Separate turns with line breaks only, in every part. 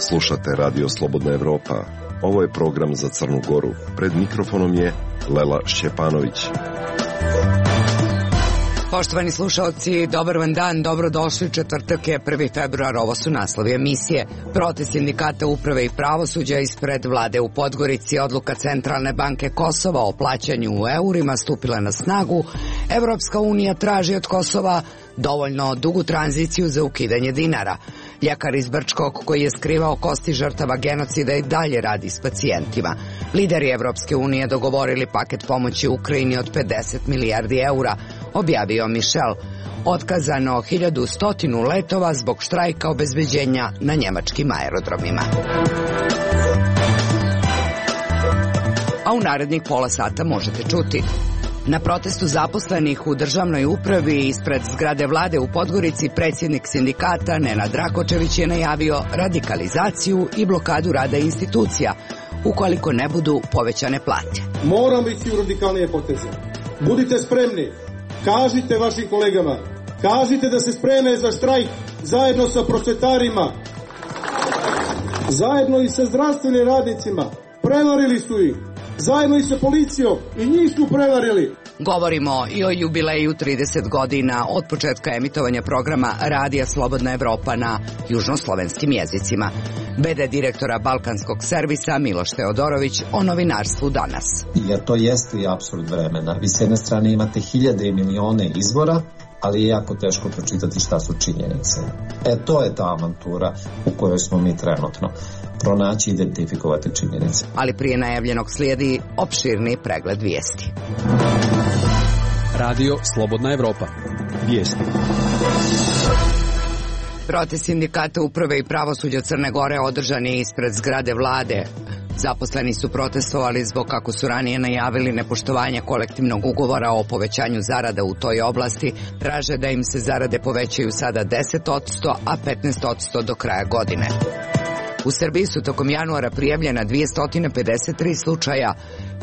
Slušate Radio Slobodna Evropa. Ovo je program za Crnu Goru. Pred mikrofonom je Lela Šćepanović.
Poštovani slušalci, dobar vam dan, dobrodošli. Četvrtak je 1. februar, ovo su naslovi emisije. Protest sindikata uprave i pravosuđa ispred vlade u Podgorici, odluka Centralne banke Kosova o plaćanju u eurima stupila na snagu. Evropska unija traži od Kosova dovoljno dugu tranziciju za ukidanje dinara. Ljekar iz Brčkog koji je skrivao kosti žrtava genocida i dalje radi s pacijentima. Lideri Evropske unije dogovorili paket pomoći Ukrajini od 50 milijardi eura, objavio Michel. Otkazano 1100 letova zbog štrajka obezbeđenja na njemačkim aerodromima. A u narednih pola sata možete čuti: na protestu zaposlenih u državnoj upravi ispred zgrade vlade u Podgorici predsjednik sindikata Nenad Rakočević je najavio radikalizaciju i blokadu rada institucija ukoliko ne budu povećane plate.
Moramo ići u radikalnije poteze. Budite spremni. Kažite vašim kolegama. Kažite da se spreme za štrajk zajedno sa prosvetarima. Zajedno i sa zdravstvenim radnicima. Prevarili su ih. Zajedno i sa policijom i njih su prevarili.
Govorimo i o jubileju 30 godina od početka emitovanja programa Radija Slobodna Evropa na južnoslovenskim jezicima. BD direktora Balkanskog servisa Miloš Teodorović o novinarstvu danas.
Jer to jeste i apsurd vremena. Vi s jedne strane imate hiljade i milione izvora, ali je jako teško pročitati šta su činjenice. To je ta avantura u kojoj smo mi trenutno. Pronaći i identifikovati činjenice.
Ali prije najavljenog slijedi opširni pregled vijesti.
Radio Slobodna Evropa. Vijesti.
Protest sindikata uprave i pravosuđa Crne Gore održan je ispred zgrade vlade. Zaposleni su protestovali zbog, kako su ranije najavili, nepoštovanja kolektivnog ugovora o povećanju zarada u toj oblasti. Traže da im se zarade povećaju sada 10%, a 15% do kraja godine. U Srbiji su tokom januara prijavljena 253 slučaja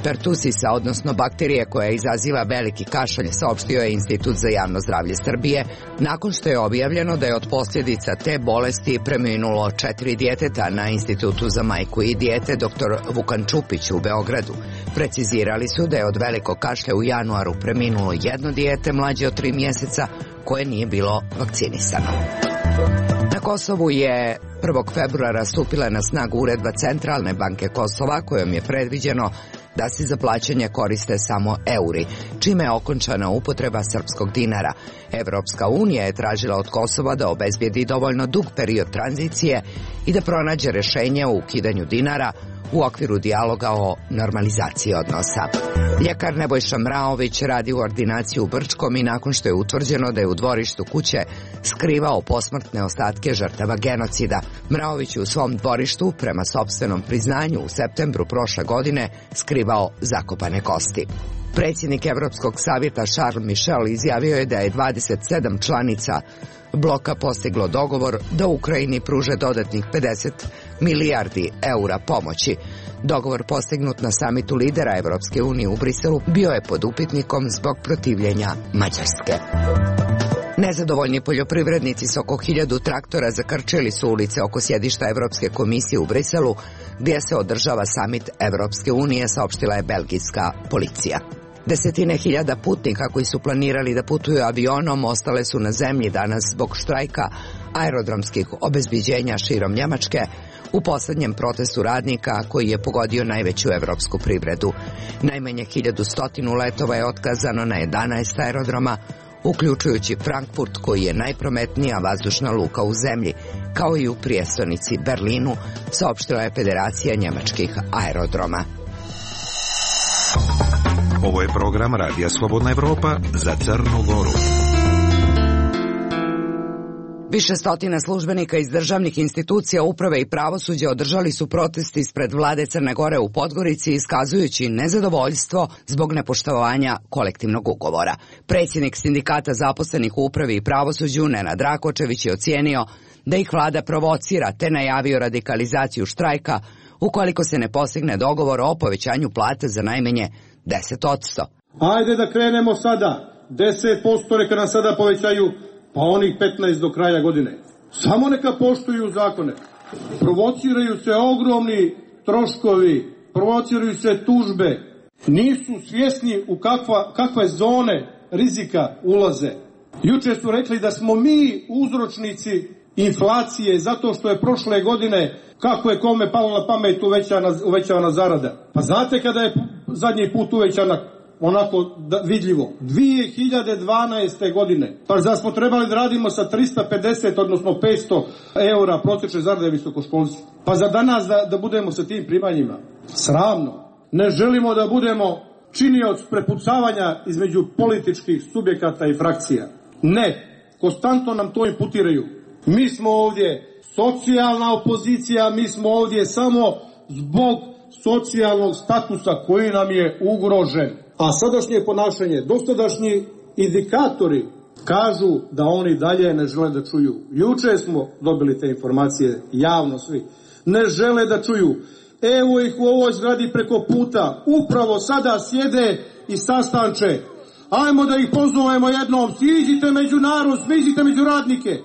pertusisa, odnosno bakterije koja izaziva veliki kašalj, saopštio je Institut za javno zdravlje Srbije, nakon što je objavljeno da je od posljedica te bolesti preminulo 4 djeteta na Institutu za majku i dijete dr. Vukan Čupić u Beogradu. Precizirali su da je od velikog kašlja u januaru preminulo jedno dijete mlađe od 3 mjeseca koje nije bilo vakcinisano. Na Kosovu je 1. februara stupila na snagu uredba Centralne banke Kosova kojom je predviđeno da se za plaćanje koriste samo euri, čime je okončana upotreba srpskog dinara. Evropska unija je tražila od Kosova da obezbijedi dovoljno dug period tranzicije i da pronađe rješenje o ukidanju dinara u okviru dijaloga o normalizaciji odnosa. Ljekar Nebojša Mraović radi u ordinaciji u Brčkom i nakon što je utvrđeno da je u dvorištu kuće skrivao posmrtne ostatke žrtava genocida. Mraović je u svom dvorištu, prema sopstvenom priznanju, u septembru prošle godine skrivao zakopane kosti. Predsjednik Evropskog savjeta Charles Michel izjavio je da je 27 članica bloka postiglo dogovor da Ukrajini pruže dodatnih 50 milijardi eura pomoći. Dogovor postignut na samitu lidera Evropske unije u Briselu bio je pod upitnikom zbog protivljenja Mađarske. Nezadovoljni poljoprivrednici s oko 1000 traktora zakrčili su ulice oko sjedišta Evropske komisije u Briselu, gdje se održava samit Evropske unije, saopštila je belgijska policija. Desetine hiljada putnika koji su planirali da putuju avionom ostale su na zemlji danas zbog štrajka aerodromskih obezbeđenja širom Njemačke u posljednjem protestu radnika koji je pogodio najveću evropsku privredu. Najmanje 1100 letova je otkazano na 11 aerodroma, uključujući Frankfurt koji je najprometnija vazdušna luka u zemlji, kao i u prijestolnici Berlinu, saopštila je Federacija njemačkih aerodroma.
Ovo je program Radija Slobodna Evropa za Crnu Goru.
Više stotina službenika iz državnih institucija, uprave i pravosuđa održali su protest ispred vlade Crne Gore u Podgorici, iskazujući nezadovoljstvo zbog nepoštovanja kolektivnog ugovora. Predsjednik sindikata zaposlenih u upravi i pravosuđu Nenad Rakočević je ocijenio da ih vlada provocira, te najavio radikalizaciju štrajka ukoliko se ne postigne dogovor o povećanju plate za najmanje 10%.
Ajde da krenemo sada. 10% neka nam sada povećaju, pa onih 15 do kraja godine. Samo neka poštuju zakone. Provociraju se ogromni troškovi, provociraju se tužbe. Nisu svjesni u kakve zone rizika ulaze. Juče su rekli da smo mi uzročnici inflacije zato što je prošle godine, kako je kome palo na pamet, uvećana zarada. Pa znate kada je zadnji put uvećana onako vidljivo? 2012. godine. Pa da smo trebali da radimo sa 350, odnosno 500 eura prosječne zarade visokoškolci. Pa za danas da budemo sa tim primanjima? Sramno. Ne želimo da budemo činioc prepucavanja između političkih subjekata i frakcija. Ne. Konstantno nam to imputiraju. Mi smo ovdje socijalna opozicija, mi smo ovdje samo zbog socijalnog statusa koji nam je ugrožen. A sadašnje ponašanje, dosadašnji indikatori kažu da oni dalje ne žele da čuju. Juče smo dobili te informacije javno svi. Ne žele da čuju. Evo ih u ovoj zgradi preko puta. Upravo sada sjede i sastanče. Ajmo da ih pozovemo jednom. Siđite među narod, siđite među radnike.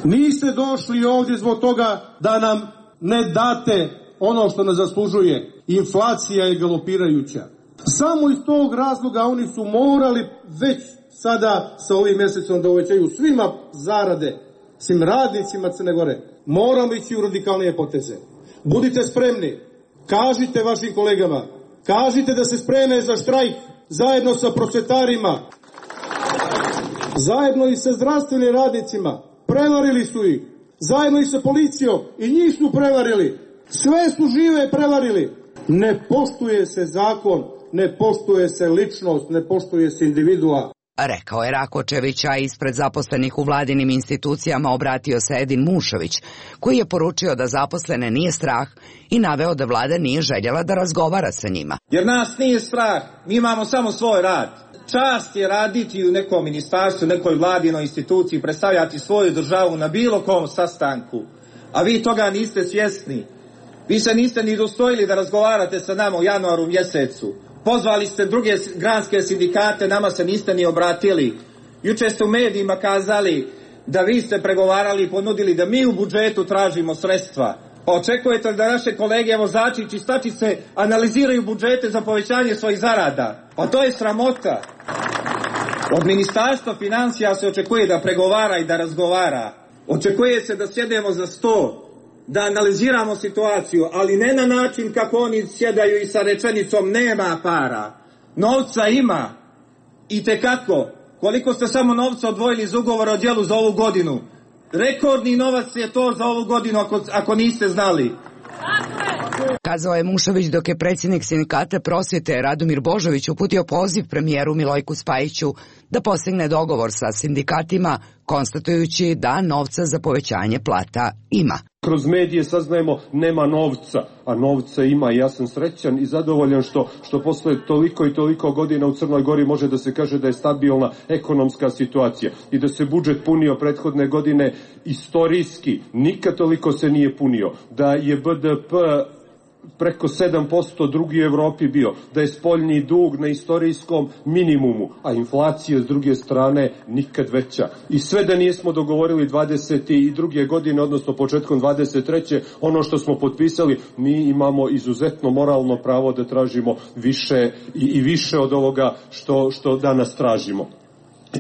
Niste došli ovdje zbog toga da nam ne date ono što nas zaslužuje. Inflacija je galopirajuća. Samo iz tog razloga oni su morali već sada sa ovim mjesecom da uvećaju svima zarade, svim radnicima Crne Gore. Moramo ići u radikalnije poteze. Budite spremni. Kažite vašim kolegama. Kažite da se spreme za štrajk zajedno sa prosvjetarima. Zajedno i sa zdravstvenim radnicima. Prevarili su ih. Zajedno i sa policijom. I njih su prevarili. Sve su žive prevarili. Ne poštuje se zakon, ne poštuje se ličnost, ne poštuje se individua.
Rekao je Rakočević, a ispred zaposlenih u vladinim institucijama obratio se Edin Mušović, koji je poručio da zaposlene nije strah i naveo da vlada nije željela da razgovara sa njima.
Jer nas nije strah, mi imamo samo svoj rad. Čast je raditi u nekom ministarstvu, nekoj vladinoj instituciji, predstavljati svoju državu na bilo kom sastanku, a vi toga niste svjesni. Vi se niste ni dostojili da razgovarate sa nama u januaru mjesecu. Pozvali ste druge granske sindikate, nama se niste ni obratili. Juče ste u medijima kazali da vi ste pregovarali i ponudili da mi u budžetu tražimo sredstva. Pa očekujete da naše kolege vozači i čistačice analiziraju budžete za povećanje svojih zarada? Pa to je sramota. Od Ministarstva financija se očekuje da pregovara i da razgovara. Očekuje se da sjedemo za sto, da analiziramo situaciju, ali ne na način kako oni sjedaju i sa rečenicom nema para. Novca ima. I tekako. Koliko ste samo novca odvojili iz ugovora o djelu za ovu godinu? Rekordni novac je to za ovu godinu ako niste znali.
Kazao je Mušović dok je predsjednik sindikata prosvjete Radomir Božović uputio poziv premijeru Milojku Spajiću da postigne dogovor sa sindikatima, konstatujući da novca za povećanje plata ima.
Kroz medije saznajemo nema novca, a novca ima i ja sam srećan i zadovoljan što posle toliko i toliko godina u Crnoj Gori može da se kaže da je stabilna ekonomska situacija i da se budžet punio prethodne godine istorijski, nikad toliko se nije punio, da je BDP preko 7% drugi u Evropi bio, da je spoljni dug na istorijskom minimumu, a inflacija s druge strane nikad veća. I sve da nismo dogovorili 22. godine, odnosno početkom 23. ono što smo potpisali, mi imamo izuzetno moralno pravo da tražimo više i više od ovoga što danas tražimo.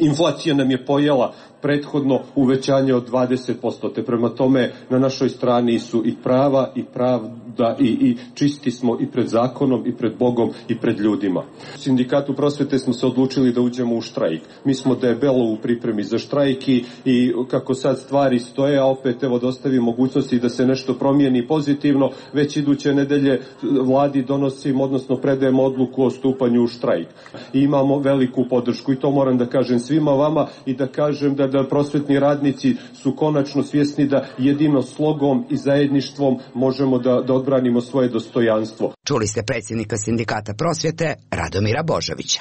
Inflacija nam je pojela prethodno uvećanje od 20%, te prema tome na našoj strani su i prava i pravda i čisti smo i pred zakonom i pred Bogom i pred ljudima. U Sindikatu prosvete smo se odlučili da uđemo u štrajk. Mi smo debelo u pripremi za štrajk i kako sad stvari stoje, a opet evo dostavi mogućnosti da se nešto promijeni pozitivno, već iduće nedelje vladi donosimo, odnosno predajemo odluku o stupanju u štrajk. I imamo veliku podršku i to moram da kažem svima vama i da kažem da prosvetni radnici su konačno svjesni da jedino slogom i zajedništvom možemo da odbranimo svoje dostojanstvo.
Čuli ste predsjednika Sindikata prosvjete Radomira Božovića.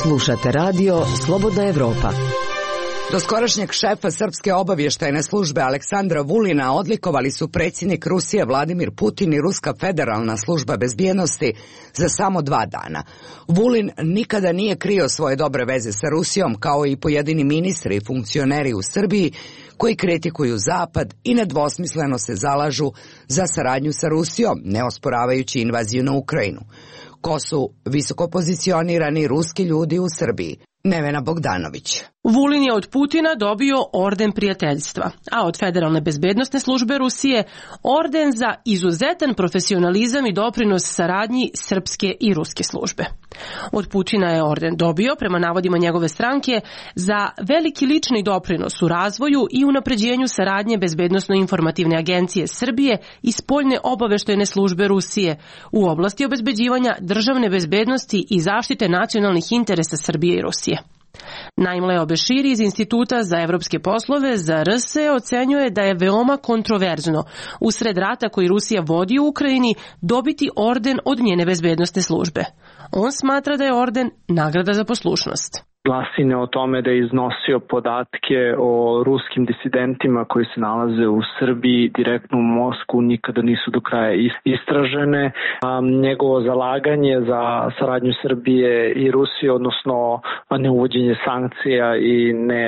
Slušate radio Slobodna Evropa.
Doskorašnjeg šefa Srpske obavještajne službe Aleksandra Vulina odlikovali su predsjednik Rusije Vladimir Putin i Ruska federalna služba bezbjednosti za samo 2 dana. Vulin nikada nije krio svoje dobre veze sa Rusijom, kao i pojedini ministri i funkcioneri u Srbiji koji kritikuju Zapad i nedvosmisleno se zalažu za saradnju sa Rusijom, ne osporavajući invaziju na Ukrajinu. Ko su visoko pozicionirani ruski ljudi u Srbiji? Nevena Bogdanović.
Vulin je od Putina dobio orden prijateljstva, a od Federalne bezbednosne službe Rusije orden za izuzetan profesionalizam i doprinos saradnji srpske i ruske službe. Od Putina je orden dobio, prema navodima njegove stranke, za veliki lični doprinos u razvoju i unapređenju saradnje Bezbednosno-informativne agencije Srbije i spoljne obaveštajne službe Rusije u oblasti obezbeđivanja državne bezbednosti i zaštite nacionalnih interesa Srbije i Rusije. Naim Leo Beširi iz Instituta za evropske poslove za RS ocenjuje da je veoma kontroverzno usred rata koji Rusija vodi u Ukrajini dobiti orden od njene bezbednosne službe. On smatra da je orden nagrada za poslušnost.
Glasine o tome da je iznosio podatke o ruskim disidentima koji se nalaze u Srbiji direktno u Moskvu nikada nisu do kraja istražene. Njegovo zalaganje za saradnju Srbije i Rusije, odnosno neuvođenje sankcija i ne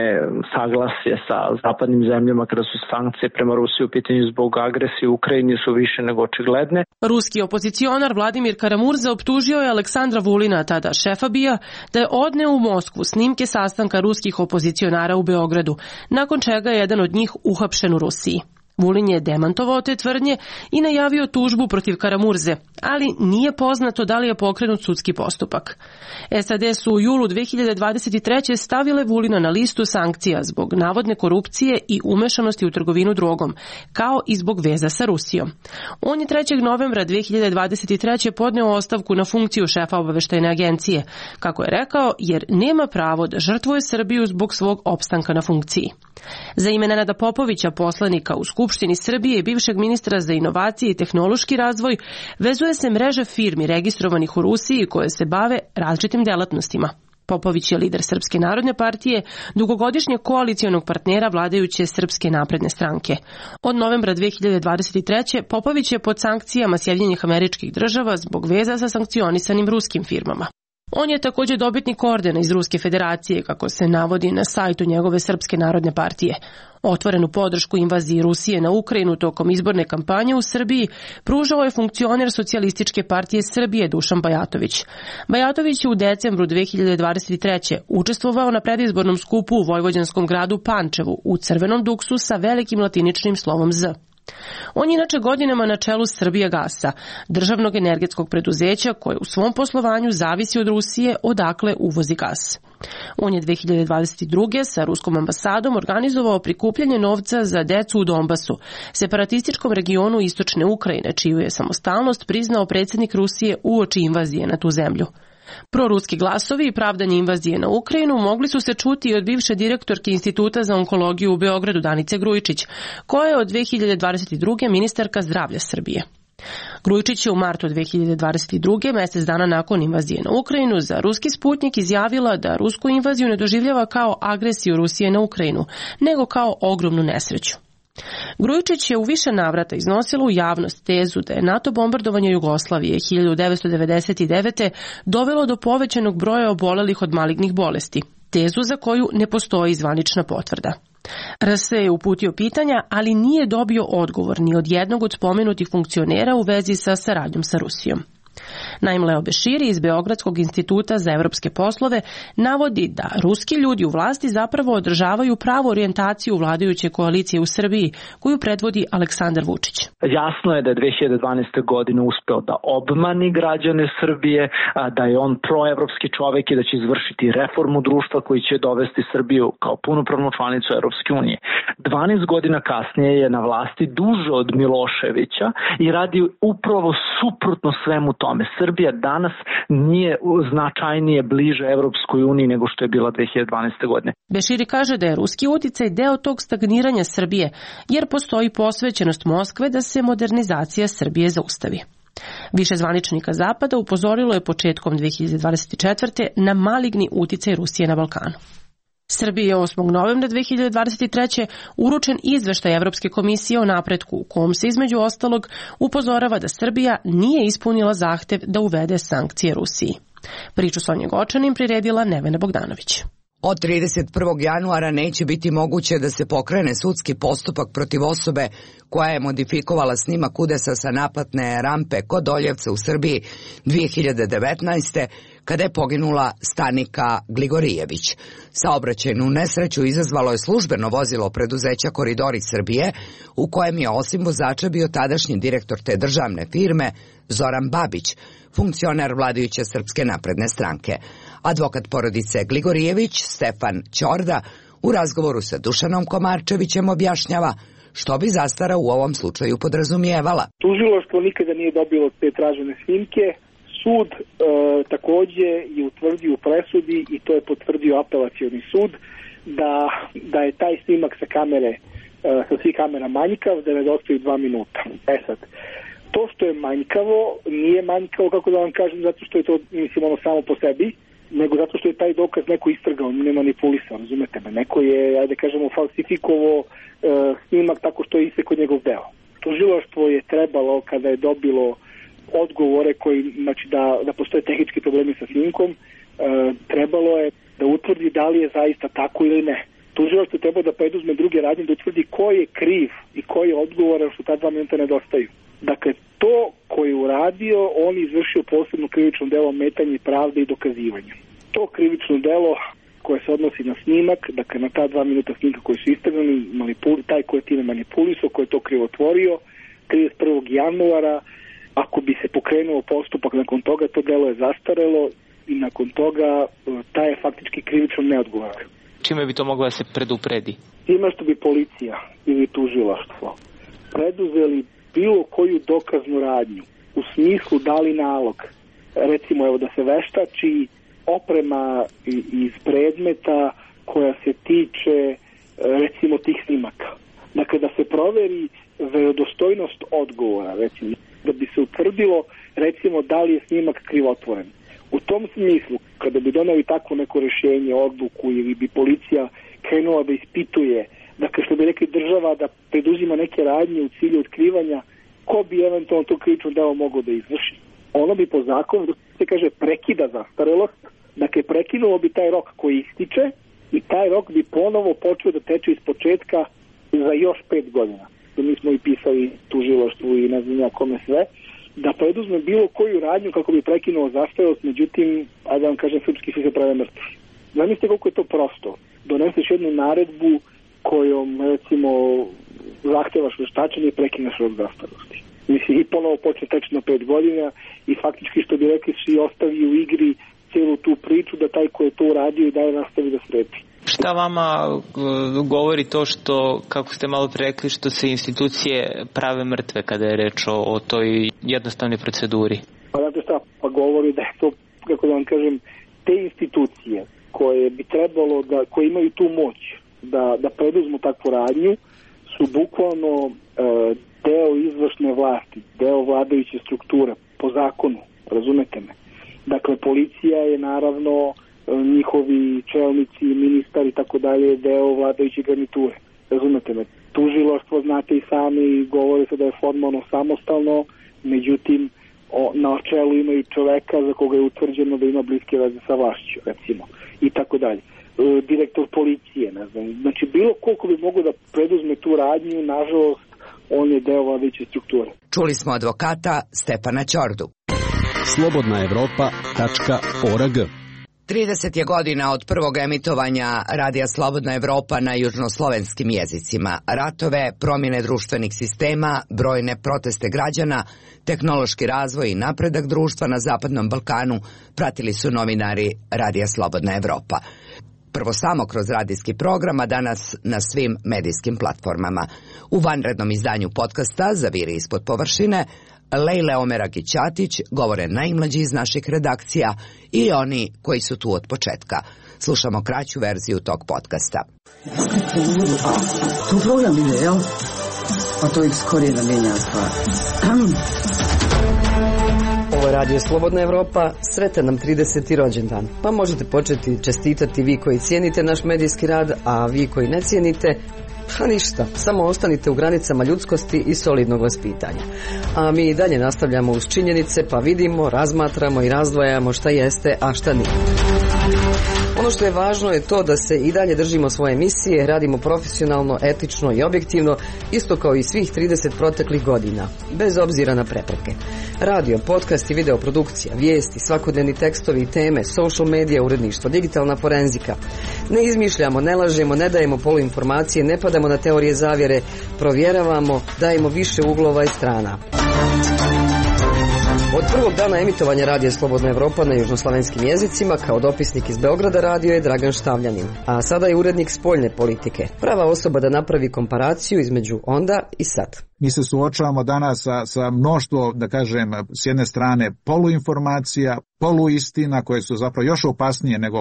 saglasje sa zapadnim zemljama kada su sankcije prema Rusiji u pitanju zbog agresije u Ukrajini su više nego očigledne.
Ruski opozicionar Vladimir Karamurza optužio je Aleksandra Vulina, tada šefa BIA, da je odneo u Moskvu snimke sastanka ruskih opozicionara u Beogradu, nakon čega je jedan od njih uhapšen u Rusiji. Vulin je demantovao te tvrdnje i najavio tužbu protiv Karamurze, ali nije poznato da li je pokrenut sudski postupak. SAD su u julu 2023. stavile Vulina na listu sankcija zbog navodne korupcije i umešanosti u trgovinu drogom, kao i zbog veza sa Rusijom. On je 3. novembra 2023. podneo ostavku na funkciju šefa obaveštajne agencije, kako je rekao, jer nema pravo da žrtvuje Srbiju zbog svog opstanka na funkciji. Za ime Nenada Popovića, poslanika u Skupštini Srbije i bivšeg ministra za inovacije i tehnološki razvoj, vezuje se mreža firmi registrovanih u Rusiji koje se bave različitim delatnostima. Popović je lider Srpske narodne partije, dugogodišnjeg koalicionog partnera vladajuće Srpske napredne stranke. Od novembra 2023. Popović je pod sankcijama Sjedinjenih Američkih Država zbog veza sa sankcionisanim ruskim firmama. On je također dobitnik ordena iz Ruske federacije, kako se navodi na sajtu njegove Srpske narodne partije. Otvorenu podršku invaziji Rusije na Ukrajinu tokom izborne kampanje u Srbiji pružao je funkcioner Socijalističke partije Srbije Dušan Bajatović. Bajatović je u decembru 2023. učestvovao na predizbornom skupu u vojvođanskom gradu Pančevu u crvenom duksu sa velikim latiničnim slovom Z. On je inače godinama na čelu Srbijagasa, državnog energetskog preduzeća koje u svom poslovanju zavisi od Rusije, odakle uvozi gas. On je 2022. sa ruskom ambasadom organizovao prikupljanje novca za decu u Donbasu, separatističkom regionu istočne Ukrajine, čiju je samostalnost priznao predsjednik Rusije uoči invazije na tu zemlju. Proruski glasovi i pravdanje invazije na Ukrajinu mogli su se čuti i od bivše direktorke Instituta za onkologiju u Beogradu Danice Grujičić, koja je od 2022. ministarka zdravlja Srbije. Grujičić je u martu 2022. mjesec dana nakon invazije na Ukrajinu za ruski Sputnik izjavila da rusku invaziju ne doživljava kao agresiju Rusije na Ukrajinu, nego kao ogromnu nesreću. Grujičić je u više navrata iznosila u javnost tezu da je NATO bombardovanje Jugoslavije 1999. dovelo do povećanog broja obolelih od malignih bolesti, tezu za koju ne postoji zvanična potvrda. RS je uputio pitanja, ali nije dobio odgovor ni od jednog od spomenutih funkcionera u vezi sa saradnjom sa Rusijom. Naim Leo Beširi iz Beogradskog instituta za evropske poslove navodi da ruski ljudi u vlasti zapravo održavaju pravu orijentaciju vladajuće koalicije u Srbiji koju predvodi Aleksandar Vučić.
Jasno je da je 2012. godine uspeo da obmani građane Srbije, da je on proevropski čovek i da će izvršiti reformu društva koji će dovesti Srbiju kao punopravnu članicu Evropske unije. 12 godina kasnije je na vlasti duže od Miloševića i radi upravo suprotno svemu tome. Srbija danas nije značajnije bliže Evropskoj uniji nego što je bila 2012. godine.
Beširi kaže da je ruski uticaj deo tog stagniranja Srbije, jer postoji posvećenost Moskve da se modernizacija Srbije zaustavi. Više zvaničnika Zapada upozorilo je početkom 2024. na maligni uticaj Rusije na Balkanu. Srbiji je 8. novembra 2023. uručen izveštaj Evropske komisije o napretku u kom se između ostalog upozorava da Srbija nije ispunila zahtev da uvede sankcije Rusiji. Priču Sonje Gočanin priredila Nevena Bogdanović.
Od 31. januara neće biti moguće da se pokrene sudski postupak protiv osobe koja je modifikovala snimak udesa sa naplatne rampe kod Doljevca u Srbiji 2019. kada je poginula Stanika Gligorijević. Saobraćajnu nesreću izazvalo je službeno vozilo preduzeća Koridori Srbije, u kojem je osim vozača bio tadašnji direktor te državne firme Zoran Babić, funkcioner vladajuće Srpske napredne stranke. Advokat porodice Gligorijević, Stefan Ćorda, u razgovoru sa Dušanom Komarčevićem objašnjava što bi zastara u ovom slučaju podrazumijevala.
Tužilaštvo nikada nije dobilo te tražene snimke. Sud takođe je utvrdio u presudi, i to je potvrdio apelacioni sud, da je taj snimak sa kamere, sa svih kamera manjkav, da nedostaju 2 minuta. Sad, to što je manjkavo, nije manjkavo, kako da vam kažem, zato što je to, mislim, ono samo po sebi, nego zato što je taj dokaz neko istrgao, ne manipulisao, razumete me. Neko je, ajde kažemo, falsifikovo snimak tako što je isekao njegov deo. Tužilaštvo je trebalo, kada je dobilo odgovore koji, znači da postoje tehnički problemi sa snimkom, trebalo je da utvrdi da li je zaista tako ili ne. Tužilaštvo je trebalo da preduzme druge radnje, da utvrdi ko je kriv i ko je odgovoran što ta 2 minuta nedostaju. Dakle, to ko je uradio, on izvršio posebno krivično delo ometanje pravde i dokazivanja. To krivično delo koje se odnosi na snimak, dakle na ta 2 minuta snimka koji su istrgani, taj ko je time manipulisao, ko je to krivotvorio, 31. januara, ako bi se pokrenuo postupak nakon toga, to delo je zastarelo i nakon toga taj je faktički krivično neodgovoran.
Čime bi to moglo da se predupredi?
Time što bi policija ili tužilaštvo preduzeli bilo koju dokaznu radnju, u smislu dali nalog, recimo evo da se veštači oprema iz predmeta koja se tiče recimo tih snimaka. Dakle, da se proveri verodostojnost odgovora, recimo, da bi se utvrdilo recimo da li je snimak krivotvoren. U tom smislu, kada bi doneli takvo neko rješenje, odluku ili bi policija krenula da ispituje, dakle što bi rekli država da preduzima neke radnje u cilju otkrivanja ko bi eventualno to krivično delo mogao da izvrši, ono bi po zakonu, da se kaže, prekida zastarelost, dakle prekinulo bi taj rok koji ističe i taj rok bi ponovo počeo da teče iz početka za još 5 godina. Mi smo i pisali tužilaštvu i ne znam ja kome sve, da preduzme bilo koju radnju kako bi prekinuo zastarelost, međutim, ajde vam kažem, srpski svi se prave mrtvi. Zamislite koliko je to prosto. Doneseš jednu naredbu kojom, recimo, zahtevaš veštačenje i prekineš rok zastarelosti. Mislim, i ponovo počne teći na 5 godina i faktički, što bi rekli, svi ostavi u igri cijelu tu priču da taj ko je to uradio i dalje nastavi da sredi.
Šta vama govori to što, kako ste malo rekli, što se institucije prave mrtve kada je reč o toj jednostavnoj proceduri?
Pa znate šta, pa govori da je to, kako da vam kažem, te institucije koje bi trebalo da, koje imaju tu moć da preduzmu takvu radnju, su bukvalno deo izvršne vlasti, deo vladajuće strukture, po zakonu, razumete me. Dakle, policija je naravno, njihovi čelnici, ministar i tako dalje, deo vladajuće garniture, razumete me. Tužilaštvo, znate i sami, govore se da je formalno samostalno, međutim, na čelu imaju čoveka za koga je utvrđeno da ima bliske veze sa vlašću, recimo, i tako dalje. Direktor policije, ne znam, znači bilo koliko bi mogo da preduzme tu radnju, nažalost, on je deo vladajuće strukture.
Čuli smo advokata Stefana Ćordu.
slobodnaevropa.org
30 je godina od prvog emitovanja radija Slobodna Evropa na južnoslovenskim jezicima. Ratove, promjene društvenih sistema, brojne proteste građana, tehnološki razvoj i napredak društva na Zapadnom Balkanu pratili su novinari radija Slobodna Evropa. Prvo samo kroz radijski program, a danas na svim medijskim platformama. U vanrednom izdanju podcasta Zaviri ispod površine, Lejle Omeragić-Ćatić govore najmlađi iz naših redakcija i oni koji su tu od početka. Slušamo kraću verziju tog podcasta.
Tu program ide, jel? Pa to ih skorije da mijenja stvar.
Ovo
je Radio Slobodna Evropa, sretan nam 30. rođendan. Pa možete početi čestitati vi koji cijenite naš medijski rad, a vi koji ne cijenite, pa ništa, samo ostanite u granicama ljudskosti i solidnog vaspitanja. A mi i dalje nastavljamo uz činjenice, pa vidimo, razmatramo i razdvajamo šta jeste, a šta nije. Ono što je važno je to da se i dalje držimo svoje misije, radimo profesionalno, etično i objektivno, isto kao i svih 30 proteklih godina, bez obzira na prepreke. Radio, podcast i videoprodukcija, vijesti, svakodnevni tekstovi i teme, social media, uredništvo, digitalna forenzika. Ne izmišljamo, ne lažemo, ne dajemo poluinformacije, ne padamo na teorije zavjere, provjeravamo, dajemo više uglova i strana. Od prvog dana emitovanja Radija Slobodna Evropa na južnoslavenskim jezicima kao dopisnik iz Beograda radio je Dragan Štavljanin, a sada je urednik spoljne politike, prava osoba da napravi komparaciju između onda i sad.
Mi se suočavamo danas sa mnoštvo, da kažem, s jedne strane poluinformacija, poluistina koje su zapravo još opasnije nego,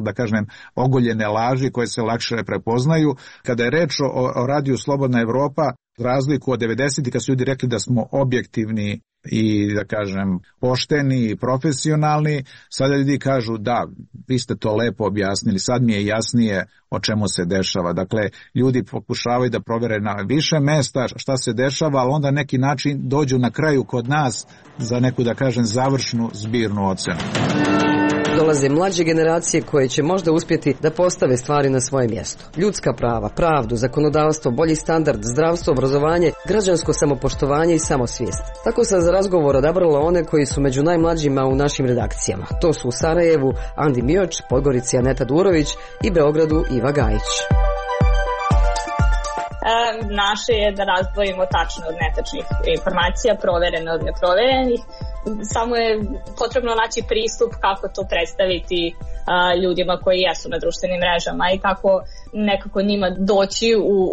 da kažem, ogoljene laži koje se lakše prepoznaju. Kada je reč o Radiju Slobodna Evropa, razliku od 90-ih kad su ljudi rekli da smo objektivni i, da kažem, pošteni i profesionalni, sada ljudi kažu da, vi ste to lepo objasnili, sad mi je jasnije o čemu se dešava. Dakle, ljudi pokušavaju da provere na više mesta šta se dešava, ali onda neki način dođu na kraju kod nas za neku, da kažem, završnu zbirnu ocenu.
Dolaze mlađe generacije koje će možda uspjeti da postave stvari na svoje mjesto. Ljudska prava, pravdu, zakonodavstvo, bolji standard, zdravstvo, obrazovanje, građansko samopoštovanje i samosvijest. Tako sam za razgovor odabrala one koji su među najmlađima u našim redakcijama. To su u Sarajevu Andi Mioč, Podgorici Aneta Durović i Beogradu Iva Gajić.
Naše je da razdvojimo tačne od netačnih informacija, proverene od neproverenih. Samo je potrebno naći pristup kako to predstaviti ljudima koji jesu na društvenim mrežama i kako nekako njima doći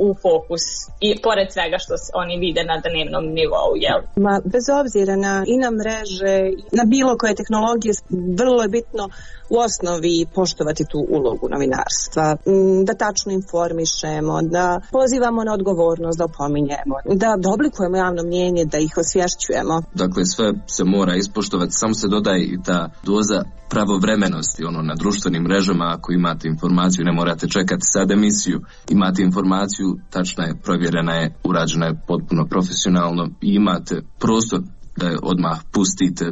u fokus i pored svega što oni vide na dnevnom nivou. Jel?
Bez obzira i na mreže, na bilo koje tehnologije, vrlo je bitno u osnovi poštovati tu ulogu novinarstva, da tačno informišemo, da pozivamo na odgovornost, da opominjemo, da oblikujemo javno mnjenje, da ih osvješćujemo.
Dakle, sve se mora ispoštovati, samo se dodaje i ta doza pravovremenosti, na društvenim mrežama, ako imate informaciju, ne morate čekati sad emisiju, imate informaciju, tačna je, provjerena je, urađena je potpuno profesionalno i imate prostor da je odmah pustite.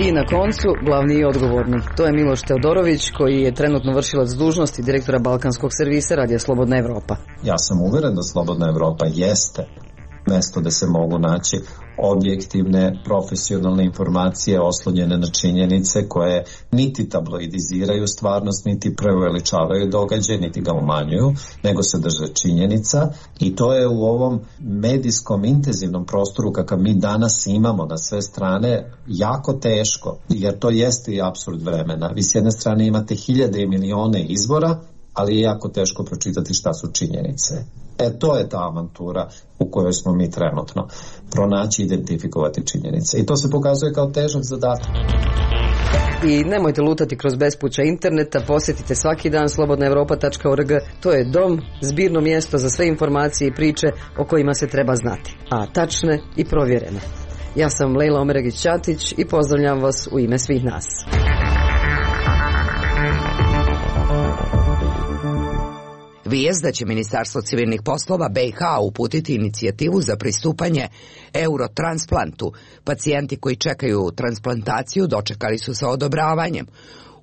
I na koncu, glavni i odgovorni. To je Miloš Teodorović, koji je trenutno vršilac dužnosti direktora Balkanskog servisa Radija Slobodna Evropa.
Ja sam uvjeren da Slobodna Evropa jeste mesto da se mogu naći objektivne, profesionalne informacije oslonjene na činjenice koje niti tabloidiziraju stvarnost, niti preuveličavaju događaj, niti ga umanjuju, nego se drže činjenica i to je u ovom medijskom intenzivnom prostoru kakav mi danas imamo na sve strane jako teško, jer to jeste i apsurd vremena. Vi s jedne strane imate hiljade i milione izvora, ali je jako teško pročitati šta su činjenice. To je ta avantura u kojoj smo mi trenutno. Pronaći i identifikovati činjenice. I to se pokazuje kao težak zadatak.
I nemojte lutati kroz bespuća interneta, posjetite svaki dan slobodnaevropa.org. To je dom, zbirno mjesto za sve informacije i priče o kojima se treba znati, a tačne i provjerene. Ja sam Lejla Omeregić-Ćatić i pozdravljam vas u ime svih nas.
Vijest da će Ministarstvo civilnih poslova BiH uputiti inicijativu za pristupanje eurotransplantu. Pacijenti koji čekaju transplantaciju dočekali su sa odobravanjem.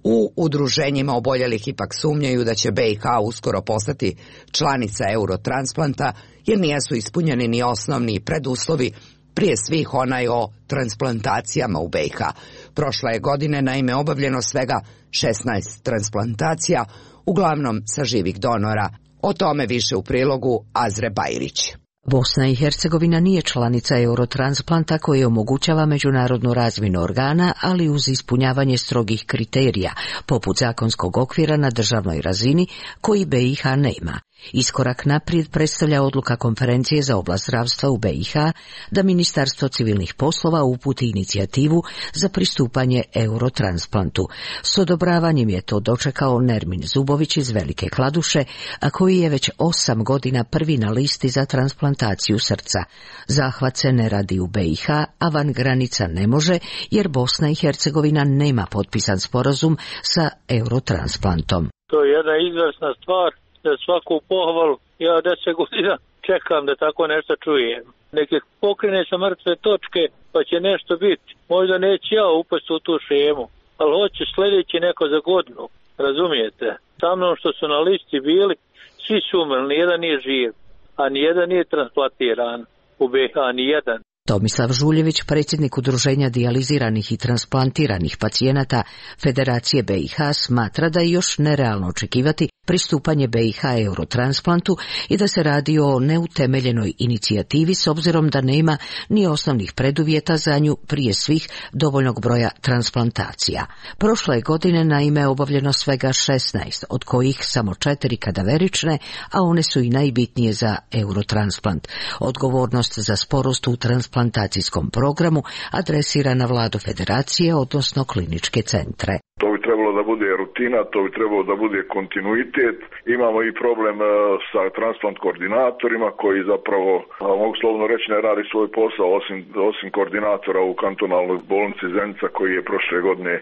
U udruženjima oboljelih ipak sumnjaju da će BiH uskoro postati članica eurotransplanta jer nisu ispunjeni ni osnovni preduslovi, prije svih onaj o transplantacijama u BiH. Prošle je godine naime obavljeno svega 16 transplantacija, uglavnom sa živih donora. O tome više u prilogu Azre Bajrić.
Bosna i Hercegovina nije članica eurotransplanta koji omogućava međunarodnu razmjenu organa, ali uz ispunjavanje strogih kriterija, poput zakonskog okvira na državnoj razini, koji BiH nema. Iskorak naprijed predstavlja odluka konferencije za oblast zdravstva u BiH da Ministarstvo civilnih poslova uputi inicijativu za pristupanje Eurotransplantu. S odobravanjem je to dočekao Nermin Zubović iz Velike Kladuše, a koji je već 8 godina prvi na listi za transplantaciju srca. Zahvat se ne radi u BiH, a van granica ne može, jer Bosna i Hercegovina nema potpisan sporazum sa Eurotransplantom.
To je jedna izvrsna stvar, za svaku pohvalu. Ja 10 godina čekam da tako nešto čujem. Neke pokrene sa mrtve točke, pa će nešto biti. Možda neće ja upasti u tu šemu, ali hoće sljedeći neko za godinu. Razumijete? Sa mnom što su na listi bili, svi su umrli, nijedan nije živ, a nijedan nije transplantiran u BiH, nijedan.
Tomislav Žuljević, predsjednik Udruženja dijaliziranih i transplantiranih pacijenata Federacije BiH, smatra da je još nerealno očekivati pristupanje BiH Eurotransplantu i da se radi o neutemeljenoj inicijativi s obzirom da nema ni osnovnih preduvjeta za nju, prije svih dovoljnog broja transplantacija. Prošle godine naime obavljeno svega 16, od kojih samo 4 kadaverične, a one su i najbitnije za Eurotransplant. Odgovornost za sporost u transplantacijskom programu adresira na vladu federacije, odnosno kliničke centre.
To bi trebalo da bude rutina, to bi trebalo da bude kontinuitet. Imamo i problem sa transplant koordinatorima koji zapravo, mogu slovno reći, ne radi svoj posao osim koordinatora u kantonalnoj bolnici Zenica koji je prošle godine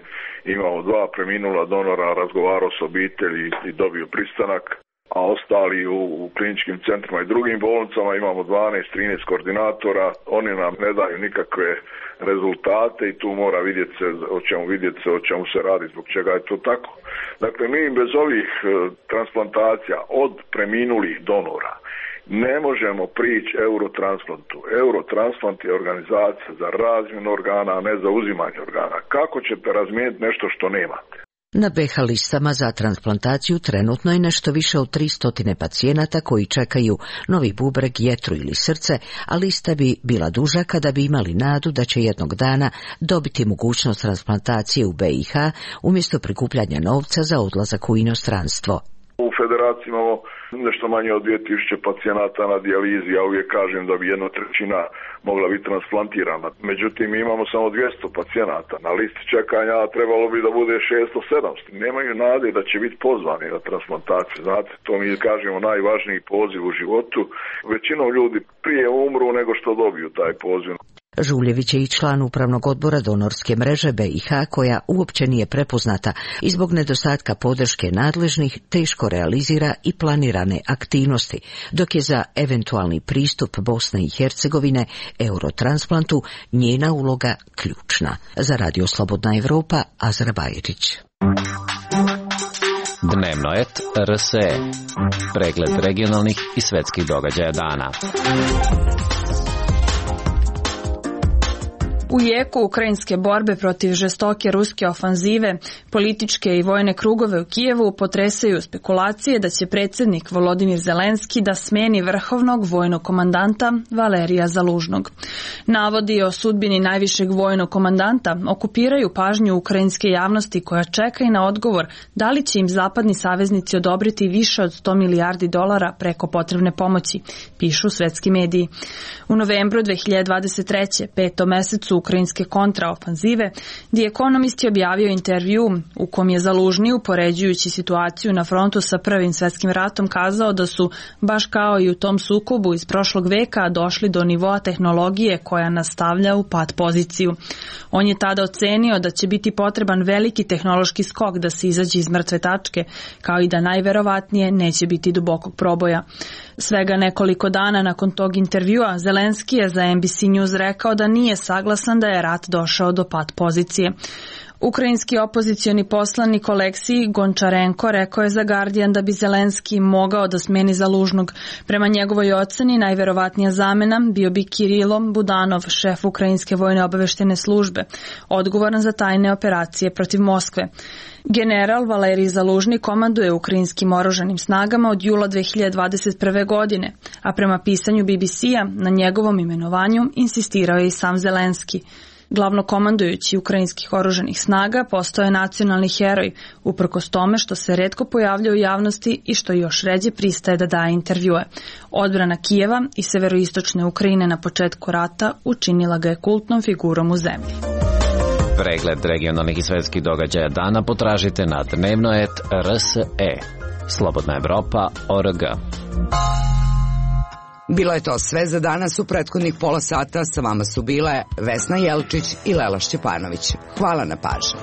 imao 2 preminula donora, razgovarao s obitelji i dobio pristanak. A ostali u kliničkim centrima i drugim bolnicama imamo 12-13 koordinatora, oni nam ne daju nikakve rezultate i tu mora vidjeti se o čemu se radi, zbog čega je to tako. Dakle, mi bez ovih transplantacija od preminulih donora ne možemo prići Eurotransplantu. Eurotransplant je organizacija za razmjenu organa, a ne za uzimanje organa. Kako ćete razmijeniti nešto što nemate?
Na BiH listama za transplantaciju trenutno je nešto više od 300 pacijenata koji čekaju novi bubreg, jetru ili srce, a lista bi bila duža kada bi imali nadu da će jednog dana dobiti mogućnost transplantacije u BiH umjesto prikupljanja novca za odlazak u inostranstvo.
U federaciji imamo nešto manje od 2000 pacijenata na dijalizi, ja uvijek kažem da bi 1/3 mogla biti transplantirana. Međutim, imamo samo 200 pacijenata na listi čekanja, a trebalo bi da bude 600-700. Nemaju nade da će biti pozvani na transplantaciju. Znate, to mi kažemo najvažniji poziv u životu. Većinom ljudi prije umru nego što dobiju taj poziv.
Žuljević je i član upravnog odbora donorske mreže BiH koja uopće nije prepoznata i zbog nedostatka podrške nadležnih teško realizira i planirane aktivnosti, dok je za eventualni pristup Bosne i Hercegovine Eurotransplantu njena uloga ključna. Za Radio Slobodna Evropa, Azra Bajrić.
Dnevnoet RSE. Pregled regionalnih i svetskih događaja dana.
U jeku ukrajinske borbe protiv žestoke ruske ofanzive, političke i vojne krugove u Kijevu potresaju spekulacije da će predsjednik Volodimir Zelenski da smeni vrhovnog vojnog komandanta Valerija Zalužnog. Navodi o sudbini najvišeg vojnog komandanta okupiraju pažnju ukrajinske javnosti koja čeka i na odgovor da li će im zapadni saveznici odobriti više od $100 milijardi preko potrebne pomoći, pišu svetski mediji. U novembru 2023. 5. mesecu ukrajinske kontraofanzive, The Economist je objavio intervju u kom je Zalužni, upoređujući situaciju na frontu sa Prvim svetskim ratom, kazao da su, baš kao i u tom sukobu iz prošlog veka, došli do nivoa tehnologije koja nastavlja u pat poziciju. On je tada ocenio da će biti potreban veliki tehnološki skok da se izađe iz mrtve tačke, kao i da najverovatnije neće biti dubokog proboja. Svega nekoliko dana nakon tog intervjua, Zelenski je za NBC News rekao da nije saglasan da je rat došao do pat pozicije. Ukrajinski opozicioni poslanik Oleksij Gončarenko rekao je za Guardian da bi Zelenski mogao da smeni Zalužnog. Prema njegovoj oceni, najverovatnija zamena bio bi Kirilo Budanov, šef Ukrajinske vojne obaveštene službe, odgovoran za tajne operacije protiv Moskve. General Valerij Zalužni komanduje ukrajinskim oružanim snagama od jula 2021. godine, a prema pisanju BBC-a na njegovom imenovanju insistirao je i sam Zelenski. Glavnokomandujući ukrajinskih oružanih snaga postao je nacionalni heroj, uprkos tome što se retko pojavlja u javnosti i što još ređe pristaje da daje intervjue. Odbrana Kijeva i severoistočne Ukrajine na početku rata učinila ga je kultnom figurom u zemlji.
Pregled regionalnih i svetskih događaja dana potražite na dnevno.rs.e. Slobodna Evropa.org.
Bilo je to sve za danas. U prethodnih pola sata sa vama su bile Vesna Jelčić i Lela Šćepanović. Hvala na pažnji.